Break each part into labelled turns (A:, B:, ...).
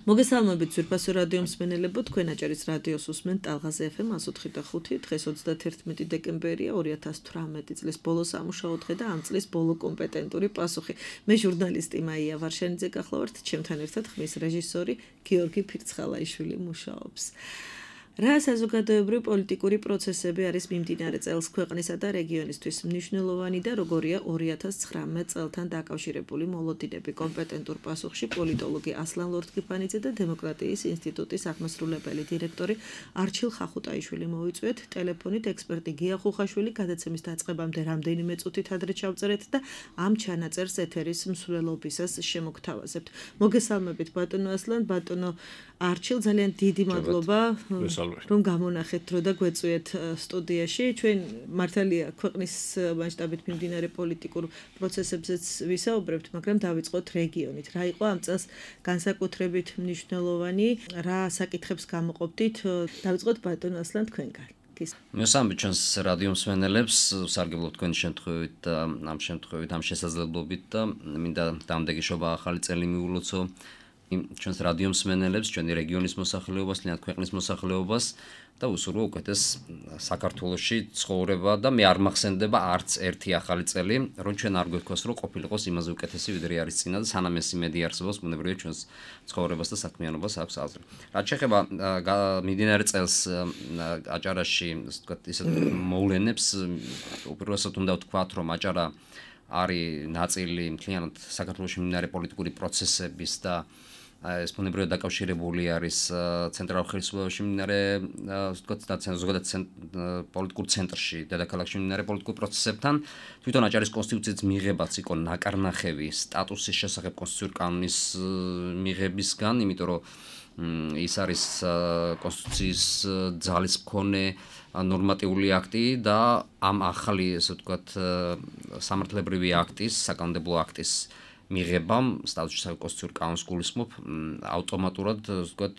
A: მოგესალმებით ძვირფასო რადიო მსმენელებო, თქვენ აჭარის რადიოს უსმენთ ტალღაზე FM 104.5, დღეს 31 დეკემბერია 2018 წლის ბოლო სამუშაო დღე და ამ წლის ბოლო კომპეტენტური პასუხი. მე ჟურნალისტი მაია ვარშანიძე გახლავართ, ჩემთან ერთად ხმის რეჟისორი გიორგი ფირცხალაიშვილი მუშაობს. რა საზოგადოებრივი პოლიტიკური პროცესები არის მიმდინარე წელს ქვეყნისა და რეგიონისთვის მნიშვნელოვანი და როგორია 2019 წელთან დაკავშირებული მოლოდინები კომპეტენტურ პასუხში პოლიტოლოგი ასლან ლორთქიფანიძე და დემოკრატიის ინსტიტუტის აღმასრულებელი დირექტორი არჩილ ხახუტაიშვილი მოვიწვიეთ ტელეფონით ექსპერტი გია ხუხაშვილი გადაცემის დაწყებამდე რამდენიმე წუთით ადრე ჩავწერეთ და ამ ჩანაწერს ეთერის მსვლელობისას შემოგთავაზებთ. მოგესალმებით ბატონო ასლან, ბატონო არჩილ, ძალიან დიდი მადლობა რომ გამონახეთ დრო და გვეწვიეთ სტუდიაში. ჩვენ მართალია ქვეყნის მასშტაბით მიმდინარე პოლიტიკურ პროცესებზეც ვისაუბრებთ, მაგრამ დავიწყოთ რეგიონით. რა იყო ამ წელს განსაკუთრებით მნიშვნელოვანი, რა საკითხებს გამოყოფდით? დავიწყოთ ბატონო ასლან თქვენგან.
B: მესამე ჩვენს რადიო მსმენელებს სარგებლობთ თქვენი შემთხვევით და ამ შესაძლებლობით და მინდა დამდეგიშობა ახალი წელი მიულოცო ჩვენს რადიო მსმენელებს, ჩვენი რეგიონის მოსახლეობას, ლიანად ქვეყნის მოსახლეობას და უსურვო უკეთეს საქართველოში ცხოვრება და მე არ მახსენდება არც ერთი ახალი წელი, რომ ჩვენ არ გვეთქვას, რომ ყოფილიყოს იმაზე უკეთესი, ვიდრე არის წინა და სანამ ეს იმედი არსებობს, ბუნებრივია ჩვენს ცხოვრებას და საქმიანობას აქვს აზრი. რაც შეეხება მიმდინარე წელს აჭარაში, ასე ვთქვათ, ისეთ მოვლენებს, უპირველესად უნდა ვთქვათ, რომ აჭარა არის ნაწილი მთლიანად საქართველოში მიმდინარე პოლიტიკური პროცესების და ეს ბუნებრივად დაკავშირებული არის ცენტრალურ ხელისუფლებაში მიმდინარე, ასე ვთქვათ, ზოგადად პოლიტიკურ ცენტრში, დედაქალაქში მიმდინარე პოლიტიკურ პროცესებთან. თვითონ აჭარის კონსტიტუციის მიღებაც იყო ნაკარნახევი სტატუსის შესახებ კონსტიტუციური კანონის მიღებისგან, იმიტომ რომ ის არის კონსტიტუციის ძალის მქონე ნორმატიული აქტი და ამ ახალი, ასე ვთქვათ, სამართლებრივი აქტის, საკანონმდებლო აქტის მიღებამ სტატუსის კონსტიტუციური კანონს გულისხმობ ავტომატურად, ასე ვთქვათ,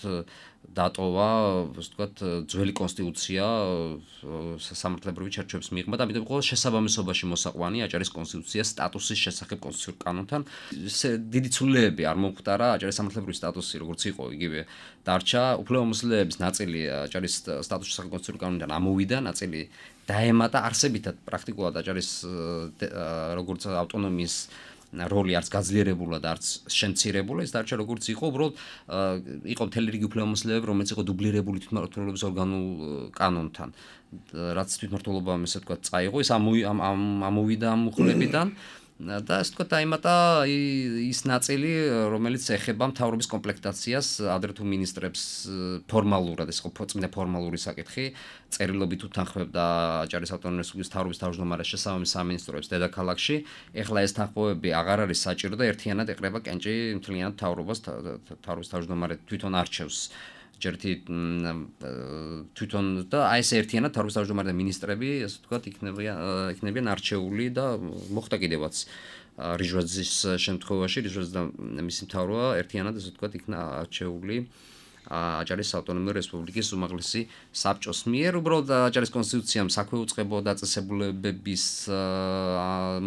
B: დატოვა, ასე ვთქვათ, ძველი კონსტიტუცია სამართლებრივი ჩარჩოების მიღება და ამიტომ იყო შესაბამისობაში მოსაყვანი აჭარის კონსტიტუციას სტატუსის შესახებ კონსტიტუციურ კანონთან. დიდი ცვლილებები არ მომხდარა, აჭარის სამართლებრივი სტატუსი როგორც იყო, იგივე დარჩა. უფლებამოსილების ნაწილი აჭარის სტატუსის შესახებ კონსტიტუციურ კანონიდან ამოვიდა, ნაწილი დაემატა არსებითად პრაქტიკულად აჭარის როგორც ავტონომიის როლი არც გაძლიერებულა და არც შემცირებულა, ეს დარჩა როგორც იყო, უბრალოდ იყო მთელი რიგი უფლებამოსილებები, რომელიც იყო დუბლირებული თვითმმართველობის ორგანულ კანონთან, რაც თვითმმართველობამ, ესე ვთქვათ, წაიღო, ეს ამოვიდა ამ უხლებიდან და ასე ვთქვათ, დაემატა ის ნაწილი, რომელიც ეხება მთავრობის კომპლექტაციას, ადრე თუ მინისტრებს ფორმალურად, ეს იყო წმინდა ფორმალური საკითხი, წერილობით უთანხმებდა აჭარის ავტონომიური რესპუბლიკის მთავრობის თავმჯდომარეს შესაბამის სამინისტროებს დედაქალაქში. ეხლა ეს თანხმობები აღარ არის საჭირო და ერთიანად ეკრება კენჭი მთლიანად მთავრობის თავმჯდომარე თვითონ არჩევს. ჯერთი თვითონ და აი ეს ერთიანად თავრობის თავმჯდომარე და მინისტრები, ასე ვთქვათ, იქნებიან არჩეული და მოხდა კიდევაც რიჟვაძის შემთხვევაში, რიჟვაძე და მისი მთავრობა ერთიანად, ასე ვთქვათ, იქნა არჩეული აჭარის ავტონომიური რესპუბლიკის უმაღლესი საბჭოს მიერ. უბრალოდ აჭარის კონსტიტუციამ საქმე უწყებო დაწესებულებების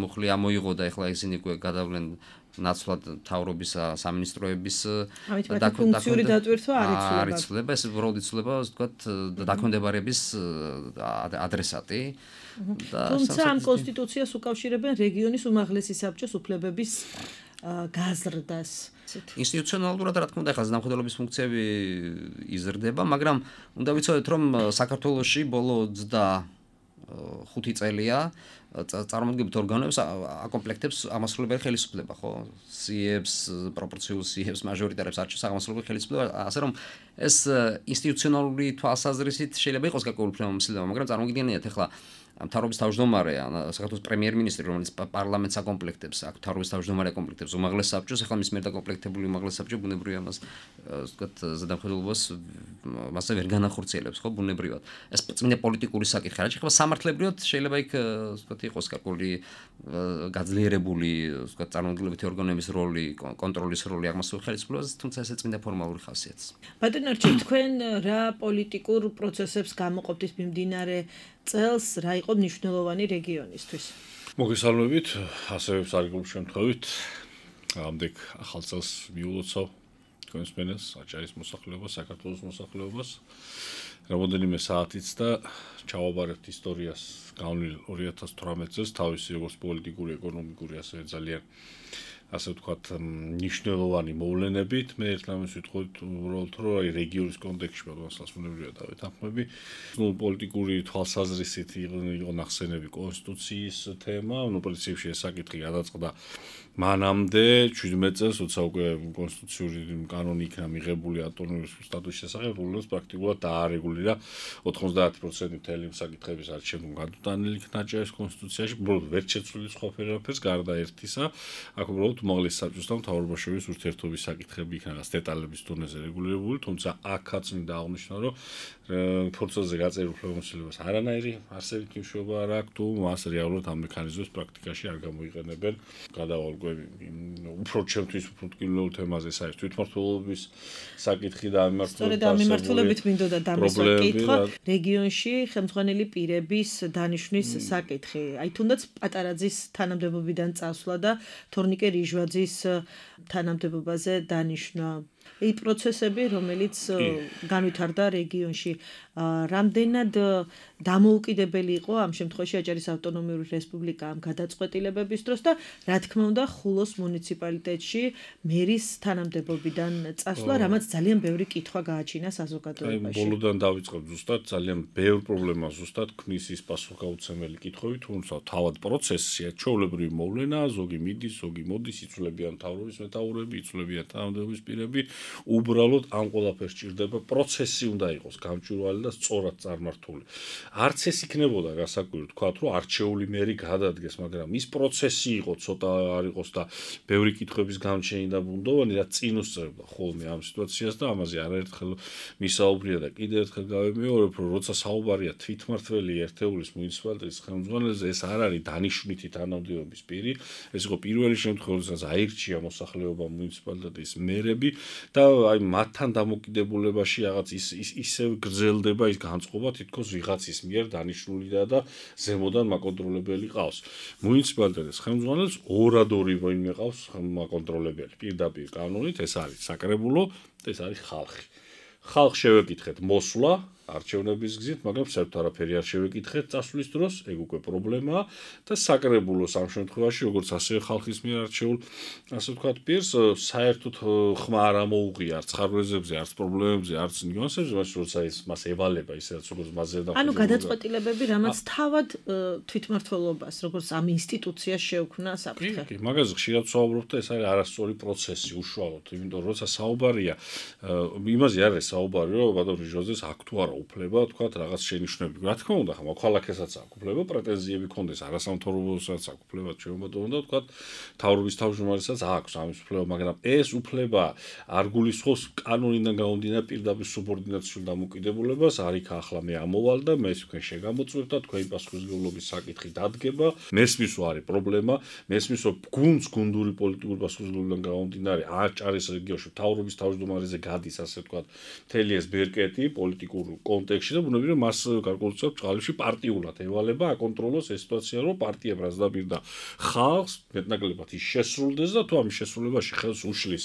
B: მუხლი ამოიღო და ეხლა ისინი გადავლენ ნაცვლად მთავრობის სამინისტროების
A: ფუნქციური დატვირთვა არ
B: იცვლება, ეს უბრალოდ იცვლება, ასე ვთქვათ, დაქვემდებარების ადრესატი.
A: თუმცა ამ კონსტიტუციას უკავშირებენ რეგიონის უმაღლესი საბჭოს უფლებების გაზრდას.
B: ინსტიტუციონალურად, რა თქმა უნდა, ახლა ზნამხედველობის ფუნქციები იზრდება, მაგრამ უნდა ვიცოდეთ, რომ საქართველოში ბოლო 25 წელია წარმოადგენთ ორგანოებს აკომპლექტებს აღმასრულებელი ხელისუფლება, ხო? სიებს, პროპორციულ სიებს, მაჟორიტარებს არჩევს აღმასრულებელი ხელისუფლება, ასე რომ ეს ინსტიტუციონალური თვალსაზრისით შეიძლება იყოს გარკვეული უფლებამოსილება, მაგრამ წარმოგიდგენიათ ახლა მთავრობის თავმჯდომარე, საქართველოს პრემიერ-მინისტრი, რომელიც პარლამენტს აკომპლექტებს, აქ მთავრობის თავმჯდომარე აკომპლექტებს უმაღლეს საბჭოს, ახლა მის მიერ დაკომპლექტებული უმაღლეს საბჭო ბუნებრივია მას, ასე ვთქვათ, ზედამხედველობას მასზე ვერ განახორციელებს, ხო, ბუნებრივად. ეს წმინდა პოლიტიკური საკითხი, რაც შეეხება სამართლებრივად, შეიძლება იქ, ასე ვთქვათ, იყოს გარკვეული გაძლიერებული, ასე ვთქვათ, წარმომადგენლობითი ორგანოების როლი, კონტროლის როლი აღმასრულებელ ხელისუფლებას, თუმცა ესე წმინდა ფორმალური ხასიათს.
A: ბატონო არჩილ, თქვენ რა პოლიტიკურ პროცესებს გამოყოფთ მიმდინარე წელს, რა იყო მნიშვნელოვანი რეგიონისთვის?
C: მოგესალმებით, ასევე სარგებლობის შემთხვევით, ამდენ ახალ წელს მიულოცავ თქვენს მენას, აჭარის მოსახლეობას, საქართველოს მოსახლეობას. Რამდენიმე საათიც და ჩავაბარებთ ისტორიას გავლილ 2018 წელს თავისი როგორც პოლიტიკური, ეკონომიკური, ასევე ძალიან ასე ვთქვათ, მნიშვნელოვანი მოვლენებით. მე ერთმანეთს ვიტყოდით უბრალოდ რომ აი რეგიონის კონტექსტში მოსასწრებია დავეთანხმები. პოლიტიკური თვალსაზრისით იყო ნახსენები კონსტიტუციის თემა, პრინციპში ეს საკითხი გადაწყდა მანამდე 17 წელს, როცა უკვე კონსტიტუციური კანონი იქნა მიღებული ავტონომიის სტატუსის შესახებ, რომელიც პრაქტიკულად დაარეგულირა 90% მთელი საკითხების არჩევნა გადატანილი იქნა აჭარის კონსტიტუციაში, უბრალოდ ვერ შეცვლილი სხვა ფერაფერს გარდა ერთისა, აქ უბრალოდ უმაღლეს საბჭოსთან მთავრობაშორის ურთიერთობის საკითხები იქნა დეტალების დონეზე რეგულირებული, თუმცა აქაც მინდა აღნიშნო, რომ ფორცელზე გაწერილ უფლებამოსილებას არანაირი არსებით მნიშვნელობა არ აქვს, თუ მას რეალურად ამ მექანიზმებს პრაქტიკაში არ გამოიყენებენ. გადავალგვები უფრო ჩემთვის უფრო მტკივნეულ თემაზე საერთოდ თვითმმართველობის საკითხი და
A: სწორედ ამ მიმართულებით მინდოდა დამესვა კითხვა რეგიონში ხელმძღვანელი პირების დანიშვნის საკითხი. აი თუნდაც პატარაძის თანამდებობიდან წასვლა და თორნიკე რიჟვაძის თანამდებობაზე დანიშვნა. ეს პროცესები, რომელიც განვითარდა რეგიონში, რამდენად დამოუკიდებელი იყო ამ შემთხვევაში აჭარის ავტონომიური რესპუბლიკა ამ გადაწყვეტილებების დროს და რა თქმა უნდა ხულოს მუნიციპალიტეტში მერის თანამდებობიდან წასვლა, რამაც ძალიან ბევრი კითხვა გააჩინა საზოგადოებაში.
C: ბოლოდან დავიწყებ ზუსტად ძალიან ბევრ პრობლემას ზუსტად ქმნის ის პასუხგაუცემელი კითხვები, თუმცა თავად პროცესია ჩვეულებრივი მოვლენა, ზოგი მიდის, ზოგი მოდის, იცვლებიან მთავრობის მეთაურები, იცვლებიან თანამდებობის პირები. უბრალოდ ამ ყველაფერს ჭირდება პროცესი უნდა იყოს გამჭვირვალე და სწორად წარმართული. არც ეს იქნებოდა გასაკვირი თქვათ, რომ არჩეული მერი გადადგეს, მაგრამ ის პროცესი იყო ცოტა არ იყოს და ბევრი კითხვების გამჩენილი და ბუნდოვანი და წინ უსწრებდა ხოლმე ამ სიტუაციას და ამაზე არაერთხელ მისაუბრია და კიდევ ერთხელ გავიმეორებ, რომ როცა საუბარია თვითმმართველი ერთეულის მუნიციპალიტეტის ხელმძღვანელზე, ეს არ არის დანიშვნითი თანამდებობის პირი, ეს იყო პირველი შემთხვევა, როდესაც აირჩია მოსახლეობა მუნიციპალიტეტის მერები და აი მათთან დამოკიდებულებაში რაღაც ისევ გრძელდება ის განწყობა თითქოს ვიღაცის მიერ დანიშნული და ზემოდან მაკონტროლებელი ყავს. მუნიციპალიტეტის ხელმძღვანელს ორადორი ვინმე ყავს მაკონტროლებელი პირდაპირ კანონით, ეს არის საკრებულო, ეს არის ხალხი. ხალხს შევეკითხეთ მოსვლა არჩევნების გზით, მაგრამ საერთოდ არაფერი არ შევეკითხეთ წასვლის დროს, ეგ უკვე პრობლემაა და საკრებულოს ამ შემთხვევაში, როგორც ასევე ხალხის მიერ არჩეულ, ასე ვთქვათ, პირს საერთოდ ხმა არ ამოუღია არც ხარვეზებზე, არც პრობლემებზე, არც ნიუანსებზე, მას როცა ის მას ევალება, ისედაც როგორც მასზე და
A: ანუ გადაწყვეტილებები, რამაც თავად თვითმმართველობას, როგორც ამ ინსტიტუციას შეუქმნა საფრთხე.
C: კი, მაგაზე ხშირად ვსაუბრობ და ეს არის არასწორი პროცესი უშუალოდ, იმიტომ რომ როცა საუბარია, იმაზე არ არის საუბარი, რომ ბატონ რიჟვაძეს აქ თუ არა უფლება, თქვათ, რაღაც შენიშვნები. რა თქმა უნდა, მოქალაქესაც აქვს უფლება, პრეტენზიები ქონდეს არასამთავრობოსაც აქვს უფლება, შემოდო და თქვათ, თავრობის თავმჯდომარესაც აქვს ამის უფლება, მაგრამ ეს უფლება არ გულისხმობს კანონიდან გამომდინარე პირდაპირ სუბორდინაციულ დამოკიდებულებას, არ იქ ახლა მე ამოვალ და მე თქვენ შეგამოწმებთ და თქვენი პასუხისმგებლობის საკითხი დადგება. მესმის რომ არის პრობლემა, მესმის რომ გუნდს გუნდური პოლიტიკური პასუხისმგებლობიდან გამომდინარე აჭარის რეგიონში თავრობის თავმჯდომარეზე გადის, ასე ვთქვათ, მთელი ეს ბერკეტი პოლიტიკურ კონტექსტში და ბუნებრივია მას გარკვეულწილად წყალში პარტიულად ევალება აკონტროლოს ეს სიტუაცია, რომ პარტიამ რაც დაპირდა ხალხს მეტნაკლებად ის შესრულდეს და თუ ამის შესრულებაში ხელს უშლის,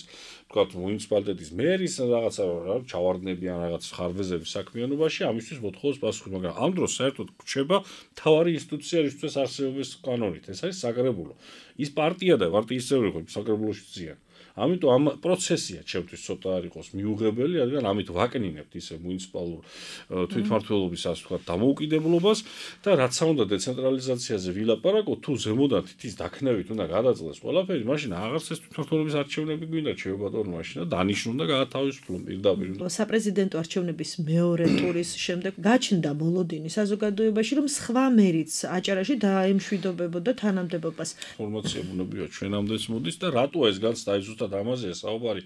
C: თქვათ, მუნიციპალიტეტის მერის რაღაცა ჩავარდნები ან რაღაც ხარვეზების საქმიანობაში, ამისთვის მოთხოვს პასუხი, მაგრამ ამ დროს საერთოდ რჩება მთავარი ინსტიტუცია, რისთვის არსებობის კანონით, ეს არის საკრებულო. ის პარტია და პარტიის წევრი ხო საკრებულოში ძიან. ამიტომ ამ პროცესია ჩემთვის ცოტა არ იყოს მიუღებელი, რადგან ამით ვაკნინებთ ისე მუნიციპალურ თვითმმართველობის ასე ვთქვათ დამოუკიდებლობას და რაც უნდა დეცენტრალიზაციაზე ვილაპარაკოთ, თუ ზემოდან თითის დაქნევით უნდა გადაწყდეს ყველაფერი, მაშინ აღარც ეს თვითმმართველობის არჩევნები გვინდა ჩემბატონო მაშინ და დანიშნულ და გაათავისუფლონ პირდაპირ.
A: საპრეზიდენტო არჩევნების მეორე ტურის შემდეგ გაჩნდა მოლოდინი საზოგადოებაში, რომ სხვა მერიც აჭარაში დაემშვიდობებოდა თანამდებობას.
C: ინფორმაცია ბუნებრივია ჩვენამდეც მოდის და რატო ეს განცდა აი ზუსტად ამაზეა საუბარი.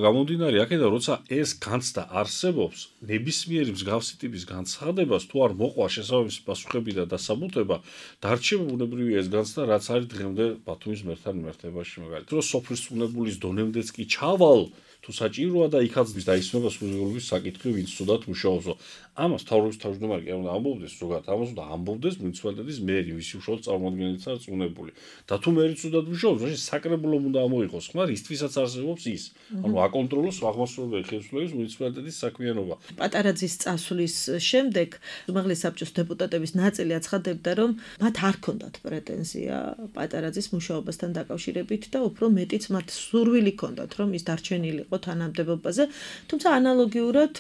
C: გამომდინარე აქედან, როცა ეს განცდა არსებობს, ნებისმიერი მსგავსი ტიპის განცხადებას თუ არ მოყვა შესაბამისი პასუხები და დასაბუთება, დარჩება ბუნებრივია ეს განცდა, რაც არის დღემდე ბათუმის მერთან მიმართებაში, მაგალითად, რომ სოფლის უნებულის დონემდეც კი ჩავალ, თუ თუ საჭიროა და იქაც დაისმება სრულიობის საკითხი, ვინც ცუდად მუშაობსო. ამას მთავრობის თავმჯდომარე კი არ უნდა ამბობდეს ზოგადად, ამას უნდა ამბობდეს მუნიციპალიტეტის მერი, ვისი უშუალოდ წარმომადგენელიც არის წუნებული. და თუ მერი ცუდად მუშაობს, მაშინ საკრებულომ უნდა ამოიღოს ხმა, რისთვისაც არსებობს ის. ანუ აკონტროლოს აღმასრულებელი ხელისუფლების მუნიციპალიტეტის საქმიანობა.
A: პატარაძის წასვლის შემდეგ უმაღლესი საბჭოს დეპუტატების ნაწილი აცხადებდა, რომ მათ არ ჰქონდათ პრეტენზია პატარაძის მუშაობასთან დაკავშირებით და უფრო მეტიც მათ სურვილი ჰქონდათ, რომ ის დარჩენილიყო თანამდებობაზე, თუმცა ანალოგიურად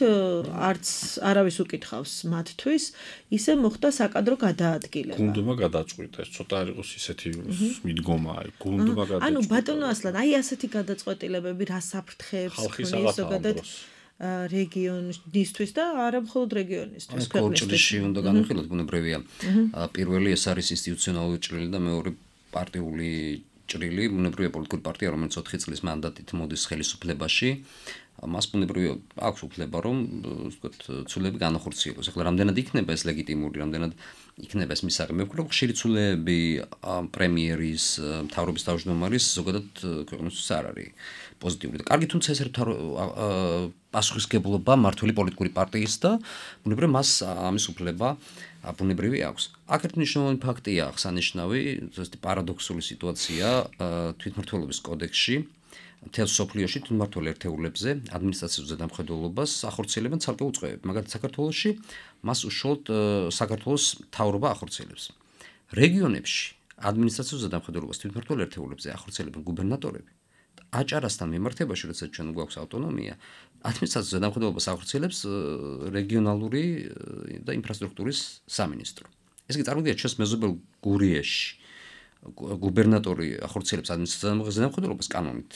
A: არც არავის უკითხავს მათთვის, ისე მოხდა საკადრო გადაადგილება.
C: გუნდმა გადაწყვიტა, ეს ცოტა არ იყოს ისეთი მიდგომა, გუნდმა გადაწყვიტა.
A: ანუ ბატონო ასლან, აი ასეთი გადაწყვეტილებები რა საფრთხეებს ქმნის ზოგადად რეგიონისთვის და არა მხოლოდ რეგიონისთვის,
B: ქვეყნისთვის. უნდა განვიხილოთ, ბუნებრივია. პირველი ეს არის ინსტიტუციონალური ჭრილი და მეორე პარტიული ჭრილი, ბუნებრივია პოლიტიკური პარტია, რომელიც 4 წლის მანდატით მოდის ხელისუფლებაში. მას ბუნებრივია აქვს უფლება, რომ ცვლილები განახორციელოს. ახლა რამდენად იქნება ეს ლეგიტიმური, რამდენად იქნება ეს მისაღები. მე ვფიქრობ, ხშირი ცვლილები პრემიერის, მთავრობის თავმჯდომარის ზოგადად ქვეყნისთვის არ არის პოზიტიური. და კარგი, თუმცა ეს პასუხისმგებლობა მმართველი პოლიტიკური პარტიის და ბუნებრივია მას ამის უფლება ბუნებრივი აქვს. აქ ერთ მნიშვნელოვანი ფაქტია აღსანიშნავი, ზუსტი პარადოქსული სიტუაცია თვითმმართველობის კოდექსში. მთელ სოფლიოში თვითმმართველ ერთეულებზე ადმინისტრაციულ ზედამხედველობას ახორციელებენ ცალკეულ წყევები. მაგალითად, საქართველოში მას უშუალოდ საქართველოს მთავრობა ახორციელებს. რეგიონებში ადმინისტრაციულ ზედამხედველობას თვითმმართველ ერთეულებზე ახორციელებენ გუბერნატორები. აჭარასთან მიმართებაში, როდესაც ჩვენ გვაქვს ავტონომია, ადმინისტრაციულ ზედამხედველობას ახორციელებს რეგიონალური და ინფრასტრუქტურის სამინისტრო. ეს კი წარმოიდგინეთ ჩვენს მეზობელ გურიაში გუბერნატორი ახორციელებს ადმინისტრაციულ ზედამხედველობას კანონით.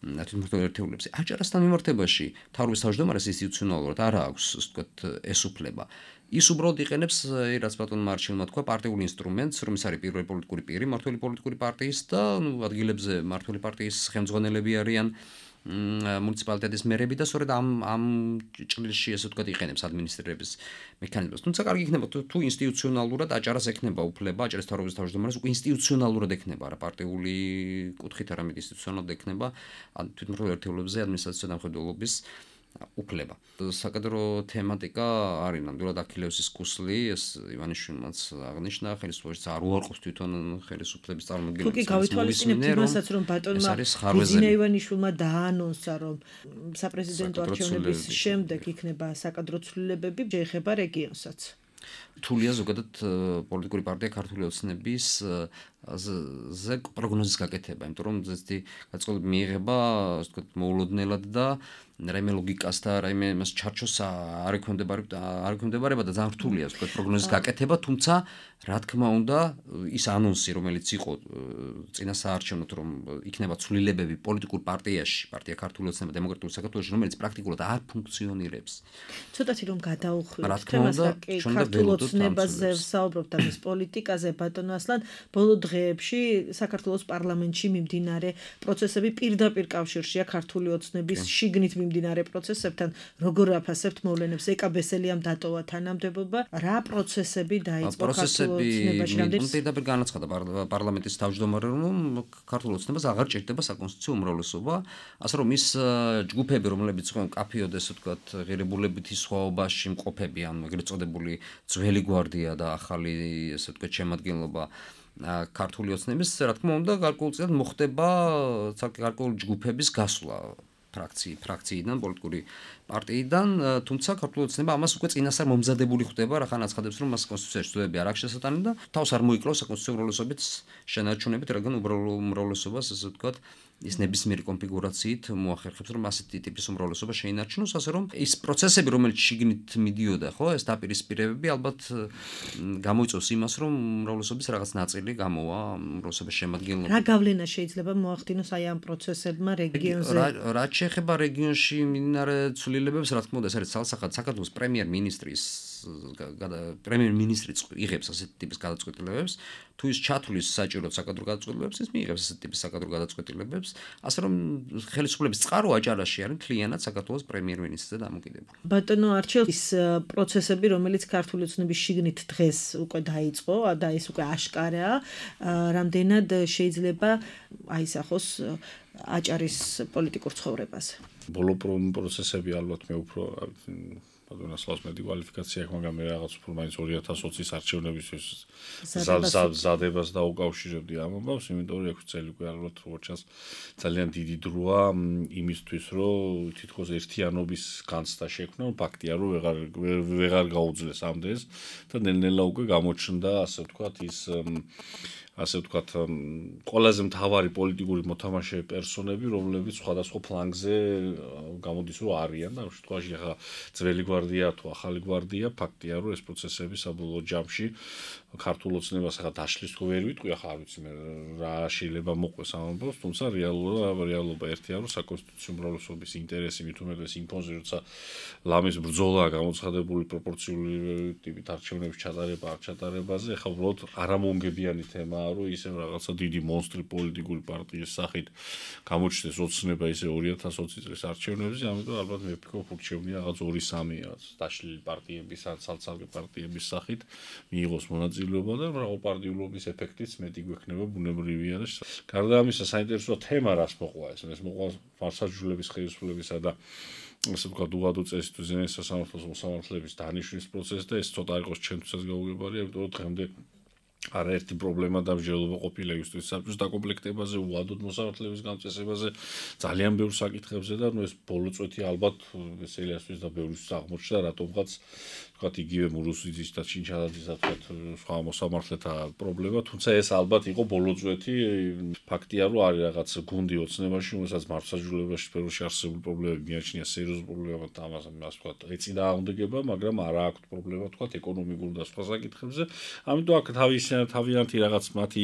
B: თვითმმართველ ერთეულებზე. აჭარასთან მიმართებაში მთავრობის თავმჯდომარეს ინსტიტუციონალურად არ აქვს, ასე ვთქვათ, ეს უფლება. ის უბრალოდ იყენებს, რაც ბატონმა არჩილმა თქვა, პარტიულ ინსტრუმენტს, რომ ის არის პირველი პოლიტიკური პირი მმართველი პოლიტიკური პარტიის და ადგილებზე მმართველი პარტიის ხელმძღვანელები არიან მუნიციპალიტეტის მერები და სწორედ ამ ჭრილში, ასე ვთქვათ, იყენებს ადმინისტრირების მექანიზმს. თუმცა კარგი იქნება თუ ინსტიტუციონალურად აჭარას ექნება უფლება, აჭარის მთავრობის თავმჯდომარეს უკვე ინსტიტუციონალურად ექნება, არა პარტიული კუთხით, არამედ ინსტიტუციონალურად ექნება თვითმმართველ ერთეულებზე ადმინისტრაციულ ზედამხედველობის უფლება. საკადრო თემატიკა არის ნამდვილად აქილევსის კუსლი, ეს ივანიშვილმაც აღნიშნა, ხელისუფლებაში არ უარყოფს თვითონ ხელისუფლების წარმომადგენლებს.
A: თუკი გავითვალისწინებთ იმასაც, რომ ბატონმა გუზინა ივანიშვილმა დაანონსა, რომ საპრეზიდენტო არჩევნების შემდეგ იქნება საკადრო ცვლილებები, შეეხება რეგიონსაც.
B: რთულია ზოგადად პოლიტიკური პარტია ქართული ოცნების ზე პროგნოზის გაკეთება, იმიტომ რომ ზუსტი გაწყობილება მიიღება, ასე ვთქვათ, მოულოდნელად და რაიმე ლოგიკას და რაიმე მას ჩარჩოს არ ექვემდებარება და ძალიან რთულია, ასე ვთქვათ, პროგნოზის გაკეთება, თუმცა რა თქმა უნდა, ის ანონსი, რომელიც იყო წინასაარჩევნოდ, რომ იქნება ცვლილებები პოლიტიკურ პარტიაში, პარტია ქართული ოცნება დემოკრატიული საქართველოში, რომელიც პრაქტიკულად არ ფუნქციონირებს.
A: ცოტათი რომ გადაუხვიოთ თემას, ქართულ ოცნებაზე ვსაუბრობთ და მის პოლიტიკაზე, ბატონო ასლან, ბოლო დღეებში საქართველოს პარლამენტში მიმდინარე პროცესები პირდაპირ კავშირშია ქართული ოცნების შიგნით მიმდინარე პროცესებთან. როგორ აფასებთ მოვლენებს? ეკა ბესელიამ დატოვა თანამდებობა, რა პროცესები დაიწყო ქართულ ოცნებაში?
B: პირდაპირ განაცხადა პარლამენტის თავმჯდომარე, რომ ქართულ ოცნებას აღარ ჭირდება საკონსტიტუციო უმრავლესობა, ასე რომ ის ჯგუფები, რომლებიც ხო კაფიოდ, ესე ვთქვათ, ღირებულებითი სხვაობაში მყოფები, ანუ ეგრეთ წოდებული ძველი გვარდია და ახალი, ესე ვთქვათ, შემადგენლობა ქართული ოცნების, რა თქმა უნდა, გარკვეულწილად მოხდება ცალკე გარკვეული ჯგუფების გასვლა ფრაქციიდან, პოლიტიკური პარტიიდან, თუმცა ქართული ოცნება ამას უკვე წინასწარ მომზადებული ხდება, რახან აცხადებს, რომ მას კონსტიტუციაში ცვლილებები არ აქვს შესატანი და თავს არ მოიკლავს საკონსტიტუციო უმრავლესობით შენარჩუნებით, რადგან უმრავლესობას, ასე ვთქვათ, ის ნებისმიერი კონფიგურაციით მოახერხებს, რომ ასეთი ტიპის უმრავლესობა შეინარჩუნოს, ასე რომ ის პროცესები, რომელიც შიგნით მიდიოდა, ხო, ეს დაპირისპირებები ალბათ გამოიწვევს იმას, რომ უმრავლესობის რაღაც ნაწილი გამოვა უმრავლესობის შემადგენლობაში.
A: რა გავლენა შეიძლება მოახდინოს აი ამ პროცესებმა რეგიონზე?
B: რაც შეეხება რეგიონში მიმდინარე ცვლილებებს, რა თქმა უნდა, ეს არის ცალსახად საქართველოს პრემიერ-მინისტრი იღებს ასეთი ტიპის გადაწყვეტილებებს, თუ ის ჩათვლის საჭიროდ საკადრო გადაწყვეტილებებს, ის მიიღებს ასეთი ტიპის საკადრო გადაწყვეტილებებს, ასე რომ ხელისუფლების წყარო აჭარაში არის მთლიანად საქართველოს პრემიერ-მინისტრზე დამოკიდებული.
A: ბატონო არჩილ, ის პროცესები, რომელიც ქართული ოცნების შიგნით დღეს უკვე დაიწყო და ის უკვე აშკარაა, რამდენად შეიძლება აისახოს აჭარის პოლიტიკურ ცხოვრებაზე?
C: ბოლო პროცესები ალბათ მე უფრო ბატონასლავს მეტი კვალიფიკაცია აქვს, მაგრამ მე რაღაც უფრო მაინც 2020-ის არჩევნებისთვის ზადებას დაუკავშირებდი ამ ამბავს, იმიტომ რომ 6 წელი უკვე ალბათ როგორც ჩანს ძალიან დიდი დროა იმისთვის, რომ თითქოს ერთიანობის განცდა შექმნა, ფაქტია რომ ვეღარ გაუძლეს ამდენს და ნელ-ნელა უკვე გამოჩნდა, ასე ვთქვათ, ის ასე ვთქვათ, ყველაზე მთავარი პოლიტიკური მოთამაშე პერსონები, რომლებიც სხვადასხვა ფლანგზე გამოდის, რომ არიან და ამ შემთხვევაში ახლა ძველი გვარდია თუ ახალი გვარდია, ფაქტია, რომ ეს პროცესები საბოლოო ჯამში ქართულ ოცნებას ახლა დაშლის თუ ვერ ვიტყვი, ახლა არ ვიცი მე რა შეიძლება მოყვეს ამ ამბავს, თუმცა რეალობა ერთია, რომ საკონსტიტუციო უმრავლესობის ინტერესი მით უმეტეს იმ ფონზე, როცა ლამის ბრძოლაა გამოცხადებული პროპორციული ტიპით არჩევნების ჩატარება არ ჩატარებაზე, ახლა უბრალოდ არამონგებიანი თემაა, რომ ისევ რაღაცა დიდი მონსტრი პოლიტიკური პარტიის სახით გამოჩნდეს ოცნება ისე 2020 წლის არჩევნებზე, ამიტომ ალბათ მე ვფიქრობ, რჩევნია რაღაც 2-3 დაშლილი პარტიების ან ცალ-ცალკე პარტიების სახით მიიღოს მონაწილეობა და მრავალპარტიულობის ეფექტიც მეტი გვექნება, ბუნებრივია და გარდა ამისა საინტერესო თემა რას მოყვა ეს მოყვა მართლმსაჯულების ხელისუფლებისა და ასე ვთქვათ, უღადო წესით თუ ზენის სასამართლოს მოსამართლეების დანიშვნის პროცესი და ეს ცოტა იყოს ჩემთვისაც გაუგებარია, იმიტომ რომ დღემდე არაერთი პრობლემა და მსჯელობა ყოფილა იუსტიციის საბჭოს დაკომპლექტებაზე, უადოდ მოსამართლეების გამწესებაზე, ძალიან ბევრ საკითხებზე და ეს ბოლო წვეთი ალბათ სელიასთვის და ბევრისთვის აღმოჩნდა, რატომღაც ვთქვათ, იგივე მურუსიძის და ჩინჩადაძის და ვთქვათ, სხვა მოსამართლეთა პრობლემა, თუმცა ეს ალბათ იყო ბოლო წვეთი, ფაქტია, რომ არის რაღაც გუნდი ოცნებაში, რომელსაც მართლმსაჯულებაში სფეროში არსებული პრობლემები მიაჩნია სერიოზულ პრობლემად და ამას ვთქვათ, ეწინააღმდეგება, მაგრამ არა აქვთ პრობლემა, ვთქვათ, ეკონომიკურ და სხვა საკითხებზე. ამიტომ აქ თავიანთი რაღაც მათი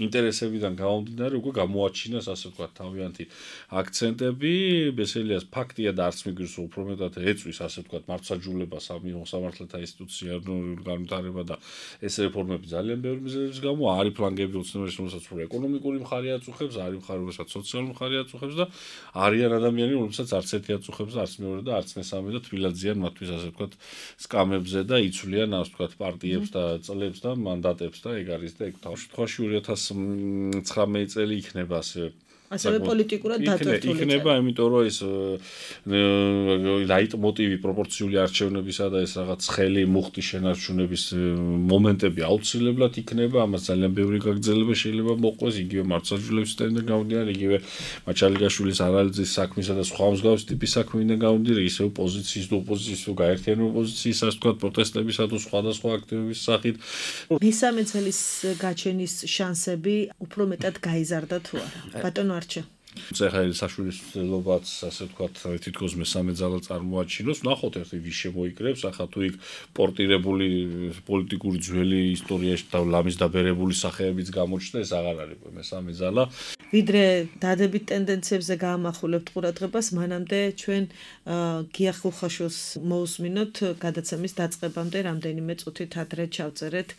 C: ინტერესებიდან გამომდინარე უკვე გამოაჩინეს, ასე ვთქვათ, თავიანთი აქცენტები, ბესელიას ფაქტია და არც მიგვირს უფრო მეტად ეწვის, ასე ვთქვათ, მართლმსაჯულებას სამართლებთა ინსტიტუციური განვითარება და ეს რეფორმები ძალიან ბევრი მიზეზების გამო არის ფლანგები ოცნებაში, რომელსაც უფრო ეკონომიკური მხარე აწუხებს, არის მხარე, რომელსაც სოციალური მხარე აწუხებს და არიან ადამიანები, რომლებსაც არც ერთი აწუხებს, არც მეორე და არც მესამე და თბილად ზიან მათთვის, ასე ვთქვათ, სკამებზე და იცვლიან, ასე ვთქვათ, პარტიებს და წლებს და მანდატებს და ეგ არის და ეგ თავ შემთხვევაში 2019 წელი იქნება
A: ასევე პოლიტიკურად დატვირთული
C: იქნება, იმიტომ რომ ეს ლაიტმოტივი პროპორციული არჩევნებისა და ეს რაღაც ხელი მუხტი შენარჩუნების მომენტები აუცილებლად იქნება, ამას ძალიან ბევრი გაგრძელება შეიძლება მოყვეს, იგივე მართლმსაჯულების სისტემიდან გამომდინარე, იგივე მაჩალიგაშვილის ანალიზის საქმისა და სხვა მსგავსი ტიპის საქმიდან გამომდინარე, ისევ პოზიციის თუ ოპოზიციის თუ გაერთიანებული პოზიციის, ასე ვთქვათ, პროტესტებისა თუ სხვადასხვა აქტივობის სახით.
A: მესამე წლის გაჩენის შანსები უფრო მეტად გაიზარდა თუ არა? ბატონო არჩა.
C: ეხლა საშვილისმცემლობაც, ასე ვთქვათ, თითქოს მესამე ძალა წარმოაჩინოს, ნახოთ ერთი ვის შემოიკრებს, ახლა თუ იქ პორტირებული პოლიტიკური ძველი ისტორიაში და ლამის დაბერებული სახეებიც გამოჩნდა, ეს აღარ არის მესამე ძალა.
A: ვიდრე დადებით ტენდენციებზე გაამახვილებთ ყურადღებას, მანამდე ჩვენ გია ხუხაშვილს მოусმინოთ გადაცემის დაწყებამდე რამდენიმე წუთით ადრე ჩავწერეთ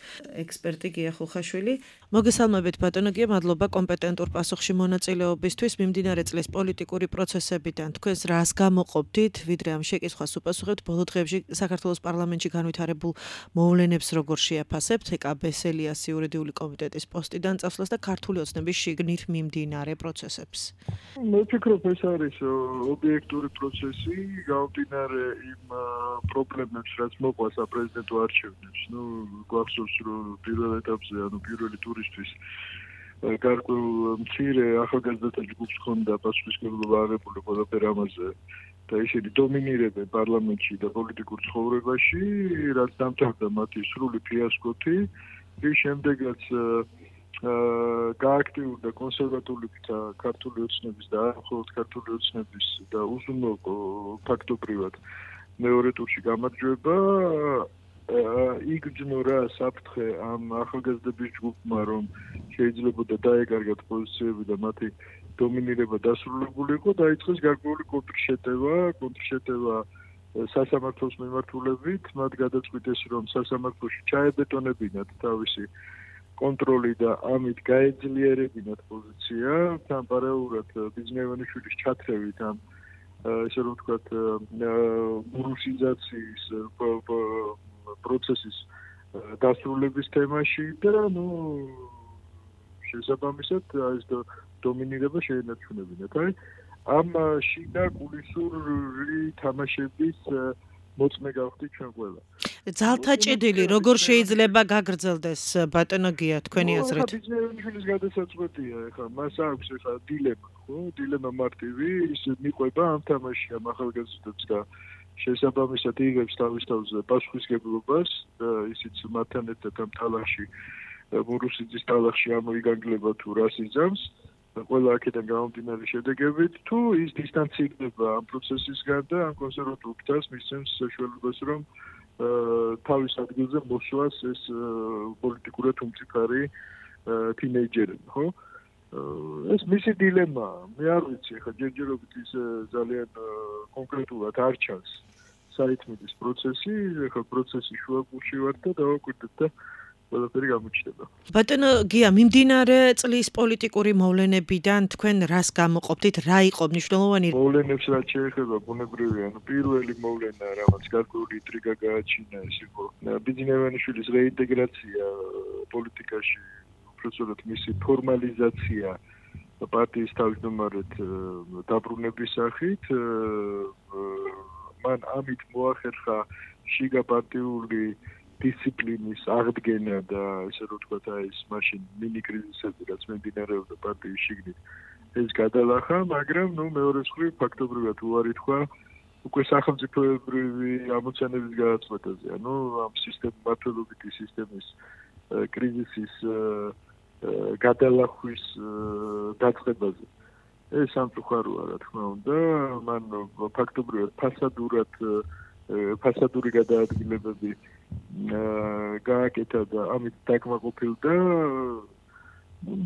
A: ექსპერტი გია ხუხაშვილი. მოგესალმებით ბატონო გია, მადლობა კომპეტენტურ პასუხში მონაწილეობისთვის. მიმდინარე წლის პოლიტიკური პროცესებიდან თქვენს რას გამოყოფდით, ვიდრე ამ შეკითხვას უპასუხებთ, ბოლო დღეებში საქართველოს პარლამენტში განვითარებულ მოვლენებს როგორ შეაფასებთ, ეკა ბესელიას იურიდიული კომიტეტის პოსტიდან წასვლას და ქართული ოცნების შიგნით მიმდინარე პროცესებს.
D: მე ვფიქრობ, ეს არის ობიექტური პროცესი, გამომდინარე იმ პრობლემებს, რაც მოყვა საპრეზიდენტო არჩევნებს. გვახსოვს, რომ პირველ ეტაპზე, პირველი ტურისთვის გარკვეულ მცირე ახალგაზრდათა ჯგუფს ჰქონდა პასუხისმგებლობა აღებული ყველაფერ ამაზე და ისინი დომინირებენ პარლამენტში და პოლიტიკურ ცხოვრებაში, რაც დამთავრდა მათი სრული ფიასკოთი. რის შემდეგაც გააქტიურდა კონსერვატულებით ქართული ოცნების და არა მხოლოდ ქართული ოცნების და უზრუნო ფაქტობრივად მეორე ტურში გამარჯვება. იგრძნო რა საფრთხე ამ ახალგაზრდების ჯგუფმა, რომ შეიძლებოდა დაეკარგათ პოზიციები და მათი დომინირება დასრულებულიყო, დაიწყეს გარკვეული კონტრშეტევა სასამართლოს მიმართულებით, მათ გადაწყვიტეს, რომ სასამართლოში ჩაებეტონებინათ თავისი კონტროლი და ამით გაეძლიერებინათ პოზიცია, თან პარალელურად ბიზნევანიშვილის ჩათრევით ამ ესე რომ ვთქვათ რუსიზაციის პროცესის დასრულების თემაში და შესაბამისად ეს დომინირება შეენარჩუნებინათ. ამ შიდა კულისური თამაშების მოწმე გავხდით ჩვენ ყველა.
A: ძალთა ჭედილი როგორ შეიძლება გაგრძელდეს ბატონო გია თქვენი აზრით?
D: ბიზნესის გადასაწყვეტია ეხლა მას აქვს ეხლა დილემა, ხო? დილემა მარტივი, ის მიყვება ამ თამაშში ამ ახალგაზრდებს და შესაბამისად იღებს თავის თავზე პასუხისგებლობას და ისიც მათთან ერთად ამ ტალახში მურუსიძის ტალახში ამოიგანგლება თუ რას იძამს ყველა აქედან გამომდინარე შედეგებით თუ ის დისტანცირდება ამ პროცესისგან და ამ კონსერვატულობას მისცემს საშუალებას რომ თავის ადგილზე მოსვლას ეს პოლიტიკურად უმწიფარი თინეიჯერები, ხო? ეს მისი დილემაა. მე არ ვიცი, ხა ჯერჯერობით ის ძალიან კონკრეტულად არ ჩანს საითმიდის პროცესი, ხა პროცესი შუაგულში ვარ და დავაკვირდეთ და ყველაფერი გამოჩნდება.
A: ბატონო გია, მიმდინარე წლის პოლიტიკური მოვლენებიდან თქვენ რას გამოყოფთ? რა იყო მნიშვნელოვანი?
D: მოვლენებს რაც შეეხება ბუნებრივია, პირველი მოვლენა რაღაც გარკვეული ინტრიგა გააჩინა, ეს იყო ბიძინევანიშვილის რეინტეგრაცია პოლიტიკაში, უბრალოდ მისი ფორმალიზაცია პარტიის თავმჯდომარედ დაბრუნების სახით. მან ამით მოახერხა შიგა პარტიული დისციპლინის აღდგენა და ესე რომ ვთქვათ, ეს მაშინ მინი კრიზისები რაც მიმდინარეობდა პარტიის შიგნით ეს გადალახა, მაგრამ მეორე მხრივ ფაქტობრივად უარი თქვა უკვე სახელმწიფოებრივი ამოცანების გადაწყვეტაზე, ამ მმართველობითი სისტემის კრიზისის გადალახვის დაწყებაზე. ეს სამწუხაროა, რა თქმა უნდა, მან ფაქტობრივად ფასადური გადაადგილებები გააკეთა და ამით დაკმაყოფილდა.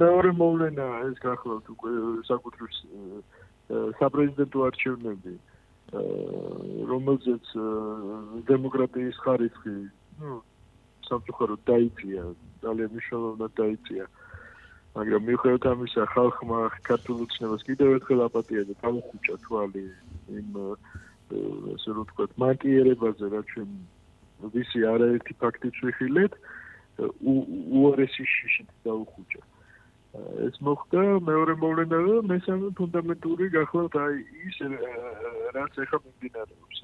D: მეორე მოვლენა ეს გახლავთ უკვე საკუთრივ საპრეზიდენტო არჩევნები, რომელზეც დემოკრატიის ხარისხი სამწუხაროდ დაიწია, ძალიან მნიშვნელოვნად დაიწია. მაგრამ მიუხედავად ამისა, ხალხმა ქართულ ოცნებას კიდევ ერთხელ აპატია და დაუხუჭა თვალი იმ ასე რომ ვთქვათ, მანკიერებაზე, რაც ჩვენ ვისი არაერთი ფაქტით ვიხილეთ, უარესი შიშით დაუხუჭა. ეს მოხდა მეორე მოვლენა და მესამე ფუნდამენტური გახლავთ ის რაც ეხლა მიმდინარეობს.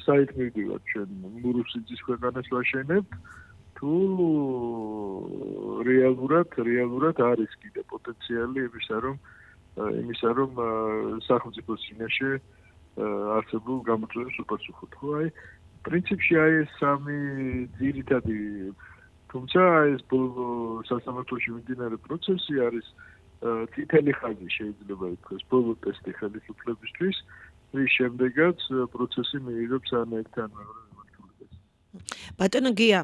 D: საითმიდივად ჩვენ მურუსიძის ქვეყანას ვაშენებთ თუ რეალურად არის კიდე პოტენციალი იმისა რომ სახელმწიფოს წინაშე არსებულ გამოწვევებს უპასუხოთ. ხო, პრინციპში ეს სამი ძირითადი, თუმცა ეს სასამართლოში მიმდინარე პროცესი არის წითელი ხაზი შეიძლება ითქვას, ბოლო ტესტი ხელისუფლებისთვის, რის შემდეგაც პროცესი მიიღებს არაერთი მეორე მიმართულებას.
A: ბატონო გია,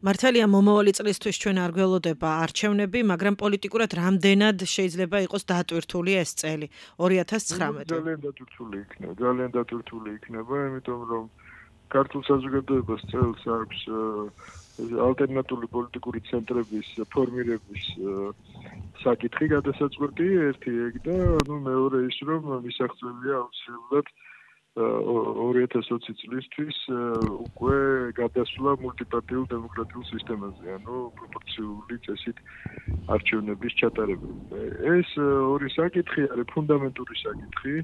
A: მართალია მომავალი წლისთვის ჩვენ არ გველოდება არჩევნები, მაგრამ პოლიტიკურად რამდენად შეიძლება იყოს დატვირთული ეს წელი 2019?
D: ძალიან დატვირთული იქნება, იმიტომ რომ ქართულ საზოგადოებას წელს აქვს ალტერნატიული პოლიტიკური ცენტრების ფორმირების საკითხი გადასაწყვეტი, ერთი ეგ და მეორე ის რომ მისაღწევია აუცილებლად 2020 წლისთვის უკვე გადასვლა მულტიპარტიულ დემოკრატიულ სისტემაზე, პროპორციული წესით არჩევნების ჩატარება. ეს ორი საკითხი არის ფუნდამენტური საკითხი,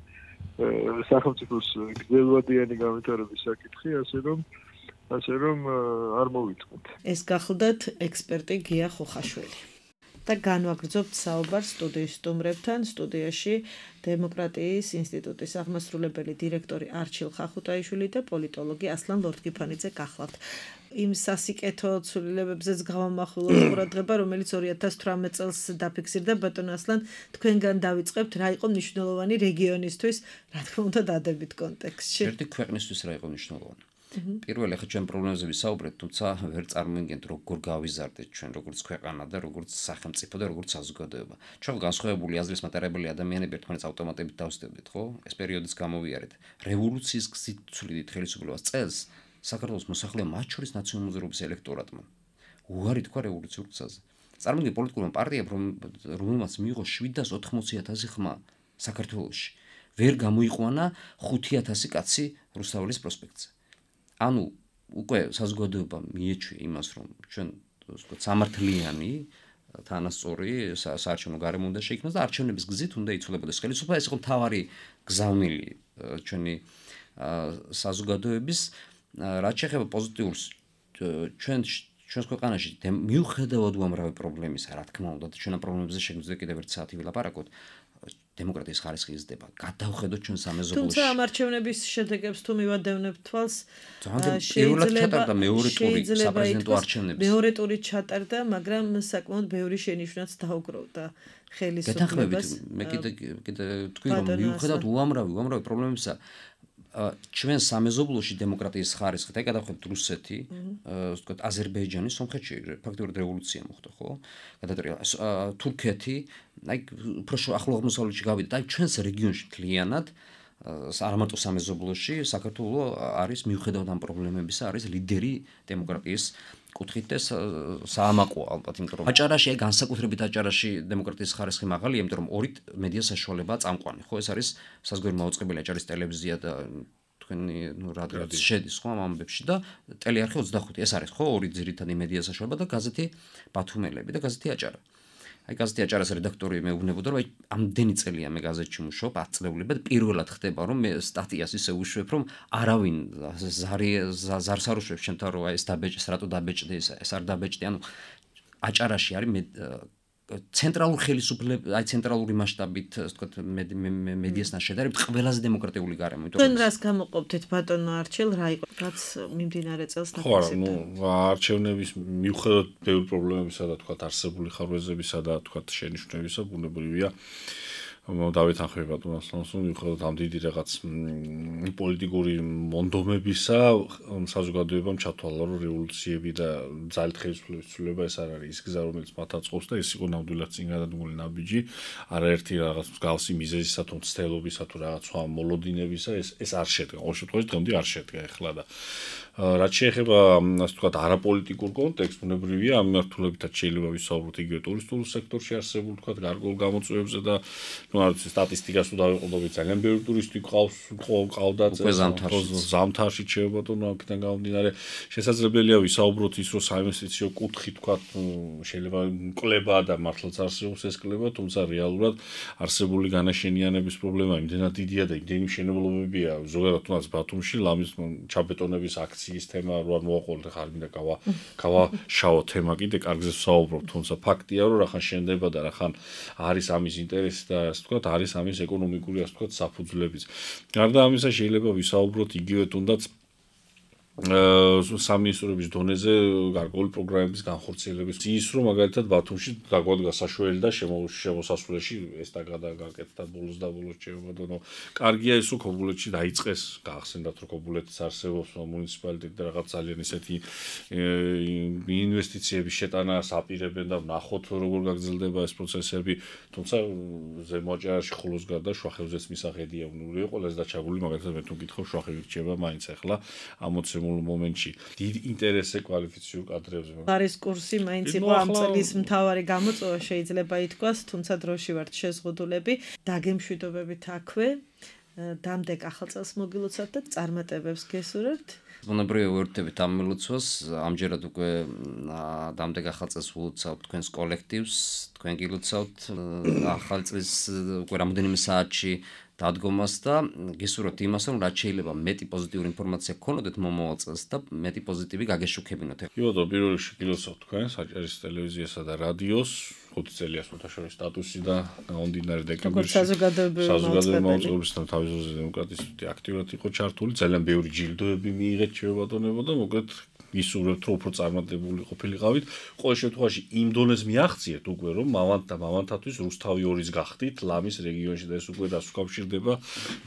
D: სახელმწიფოს გრძელვადიანი განვითარების საკითხი, ასე რომ არ მოვიწყოთ.
A: ეს გახლდათ ექსპერტი გია ხოხაშვილი. და განვაგრძობთ საუბარს სტუდიის სტუმრებთან. სტუდიაში დემოკრატიის ინსტიტუტის აღმასრულებელი დირექტორი არჩილ ხახუტაიშვილი და პოლიტოლოგი ასლან ლორთგიფანიძე გახლავთ. იმ სასიკეთო ცვლილებებზეც გავამახვილოთ ყურადღება, რომელიც 2018 წელს დაფიქსირდა. ბატონ ასლან, თქვენგან დავიწყებთ, რა იყო მნიშვნელოვანი რეგიონისთვის, რა თქმა უნდა, დადებით კონტექსტში.
B: ერთი ქვეყნისთვის რა იყო მნიშვნელოვანი. პირველი ხა ჩვენ პრობლემებზე ვისაუბრეთ, თუმცა ვერ წარმოვიდგენთ როგორ გავიზარდეთ ჩვენ როგორც ქვეყანა და როგორც სახელმწიფო და როგორც საზოგადოება. ჩვენ განსხვავებული აზრის მატარებელი ადამიანები ერთმანეთს ავტომატებით დავსდებდით, ხო? ეს პერიოდიც გამოვიარეთ. რევოლუციის გზით ცვლიდით ხელისუფლებას წელს საქართველოს მოსახლეობა, მათ შორის ნაციონალურ მოძრაობის ელექტორატმა უარი თქვა რევოლუციურ გზაზე. წარმოგიდგენთ პოლიტიკურმა პარტიამ, რომელმაც მიიღო 780,000 ხმა საქართველოში, ვერ გამოიყვანა 5,000 კაცი რუსთაველის პროსპექტზე. ანუ უკვე საზოგადოება მიეჩვია იმას, რომ ჩვენ ვთქვათ სამართლიანი თანასწორი საარჩევნო გარემო უნდა შეიქმნას და არჩევნების გზით უნდა იცვლებოდეს ხელისუფლება. ეს იყო მთავარი გზავნილი ჩვენი საზოგადოების, რაც შეეხება პოზიტიურს ჩვენს ქვეყანაში მიუხედავად უამრავი პრობლემისა, რა თქმა უნდა, და ჩვენ ამ პრობლემებზე შეგვიძლია კიდევ ერთ საათი ვილაპარაკოთ. დემოკრატიის ხარისხი იზრდება. გადავხედოთ ჩვენ სამეზობლოში.
A: თუმცა ამ არჩევნების შედეგებს თუ მივადევნებთ თვალს,
B: შეიძლება მეორე ტური საპრეზიდენტო არჩევნების.
A: მეორე ტური ჩატარდა, მაგრამ საკმაოდ ბევრი შენიშვნაც დაუგროვდა ხელისუფლებას.
B: მე კიდე თქვი რომ მიუხედავად უამრავი პრობლემებისა, ჩვენ სამეზობლოში დემოკრატიის ხარისხით, აი გადავხედოთ რუსეთი, ვთქვათ აზერბაიჯანი, სომხეთში ფაქტობრივად რევოლუცია მოხდა, ხო? გადატრიალა თურქეთი, აი უფრო ახლო აღმოსავლეთში გავიდა, აი ჩვენს რეგიონში მთლიანად არა მარტო სამეზობლოში, საქართველოს არის მიუხედავად ამ პრობლემებისა, არის ლიდერი დემოკრატიის კუთხით და საამაყო ალბათ, იმიტომ რომ აჭარაში, აი განსაკუთრებით აჭარაში დემოკრატიის ხარისხი მაღალია, იმიტომ რომ ორი მედია საშუალებაა წამყვანი, ხო? ეს არის საზღვარი მაუწყებელი აჭარის ტელევიზია და თქვენი რადიო შედის ხო ამ ამბებში და ტელეარხი 25. ეს არის ხო ორი ძირითადი მედია საშუალება და გაზეთი ბათუმელები და გაზეთი აჭარა. აი გაზეთი აჭარას რედაქტორი მეუბნებოდა რომ აი ამდენი წელია მე გაზეთში მუშაობ 10 წლეულებად პირველად ხდება რომ მე სტატიას ისე უშვებ რომ არავინ ზარს არ უშვებს ჩემთან რომ აი ეს დაბეჭდეს რატო დაბეჭდი ეს არ დაბეჭდი ანუ აჭარაში არის ცენტრალურ ხელისუფლებას აი ცენტრალური მასშტაბით ასე ვთქვათ მედიასთან შედარებით ყველაზე დემოკრატიული გარემო იმიტომ
A: რომ თქვენ რას გამოყოფთ ბატონო არჩილ რა იყო რაც მიმდინარე წელს
C: ნაკლებად ხო არჩევნების მიუხედავად ბევრი პრობლემებისა და თქვათ არსებული ხარვეზებისა და თქვათ შენიშვნებისა ბუნებრივია დავით ახმები ბატონო ასლანსო მიუხედავად ამ დიდი რაღაც პოლიტიკური მონდომებისა საზოგადოებამ ჩათვალა რომ რევოლუციები და ძალით ხელისუფლების ცვლილება ეს არ არის ის გზა რომელიც მათ აწყობს და ეს იყო ნამდვილად წინ გადადგმული ნაბიჯი არაერთი რაღაც მსგავსი მიზეზისა თუ მცდელობისა თუ რაღაც სხვა მოლოდინებისა ეს არ შედგა ყოველ შემთხვევაში დღემდე არ შედგა ეხლა და რაც შეეხება ასე ვთქვათ არაპოლიტიკურ კონტექსტს ბუნებრივია ამ მიმართულებითაც შეიძლება ვისაუბროთ იგივე ტურისტულ სექტორში არსებულ ვთქვათ გარკვეულ გამოწვევებზე და ну არ ვიცი სტატისტიკას თუ დავიყოლდებით ძალიან ბევრი ტურისტი ყავდა ზამთარში შეიძლება ბატონო აქედან გამომდინარე შესაძლებელია ვისაუბროთ ის რომ საინვესტიციო კუთხით თქვა შეიძლება კლება და მართლაც არსებობს ეს კლება თუმცა რეალურად არსებული განაშენიანების პრობლემა იმდენად დიდია და იმდენი მშენებლობებია ზოგადად თუნდაც ბათუმში ლამის ჩაბეტონების აქციის თემა რო არ მოაყოლეთ ხარ მინდა გავაშაო თემა კიდე კარგზე ვსაუბრობ თუმცა ფაქტია რომ რახან შენდება და რახან არის ამის ინტერესი და ვთქვათ არის ამის ეკონომიკური ასე ვთქვათ საფუძვლებიც. გარდა ამისა შეიძლება ვისაუბროთ იგივე თუნდაც სამინისტროების დონეზე გარკვეული პროგრამების განხორციელების ის რომ მაგალითად ბათუმში დაგვადგა საშუალება და შემოსასვლელში ეს დაგაკეთდა ბოლოს და ბოლოს შეებადო კარგია ის რომ ქობულეთში დაიწყეს გაახსენდათ რომ ქობულეთის არსებობს მუნიციპალიტეტი და რაღაც ძალიან ისეთი ინვესტიციების შეტანა აპირებენ და ნახოთ როგორ გაგრძელდება ეს პროცესები თუმცა ზემო აჭარაში ხოლოს გარდა შუახევზეც მისაღებია უნური ყველაზე დაჩაგული მაგალითად მე თუ გითხავ შუახევი რჩება მაინც ახლა ამოცე მომენტში დიდ ინტერესზე კვალიფიციურ კადრებზე.
A: არის კურსი მაინც იყო ამ წლის მთავარი გამოწვევა შეიძლება ითქვას, თუმცა დროში ვართ შეზღუდულები, დაგემშვიდობებით აქვე. დამდეგ ახალ წელს მოგილოცავთ და წარმატებებს გესურვებთ.
B: ბუნებრივია ვერთებით ამ მილოცვას, ამჯერად უკვე დამდეგ ახალ წელს ვილოცავთ თქვენს კოლექტივს, თქვენ გილოცავთ ახალ წლის უკვე რამოდენიმე საათში დადგომას და გესურვებთ იმას, რომ რაც შეიძლება მეტი პოზიტიური ინფორმაცია გქონოდეთ მომავალ წელს და მეტი პოზიტივი გაგეშუქებინოთ.
C: კი ბატონო, პირველ რიგში გილოცავთ თქვენს აჭარის ტელევიზიასა და რადიოს 5 წელია სათაშორის სტატუსი და გამომდინარე დეკემბერში საზოგადოებრივი მოღვაწეობისა და თავისუფლების დემოკრატიის აქტიურად იყო ჩართული, ძალიან ბევრი ჯილდოები მიიღეთ შეებადონებო და მოკლედ ისურვებთ რომ უფრო წარმატებული ყოფილიყავით. ყოველ შემთხვევაში იმ დონეს მიაღწიეთ უკვე რომ მამანთათვის რუსთავი 2-ის გახდით ლამის რეგიონში და ეს უკვე დასუკავშირდება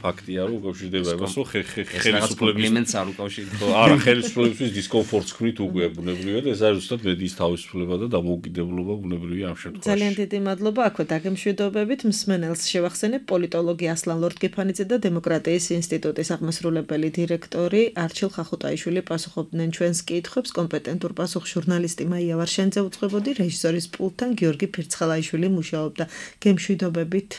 C: ფაქტია რომ უკავშირდება იმას რომ
B: ხელისუფლების არ უკავშირდება.
C: არა ხელისუფლებისთვის დისკომფორტს ქმნით უკვე ბუნებრივია და ეს არის ზუსტად მედიის თავისუფლება და დამოუკიდებლობა ბუნებრივია ამ შემთხვევაში.
A: ძალიან დიდი მადლობა აქვე დაგემშვიდობებით მსმენელს შევახსენებ პოლიტოლოგი ასლან ლორდ-გიფანიძე და დემოკრატიის ინსტიტუტის აღმასრულებელი დირექტორი არჩილ ხახუტაიშვილი პასუხობდნენ ჩვენს კითხვებს კომპეტენტურ პასუხს ჟურნალისტი მაია ვარშენძე უწყებოდი რეჟისორის პულტთან გიორგი ფირცხალაიშვილი მუშაობდა გემშვიდობებით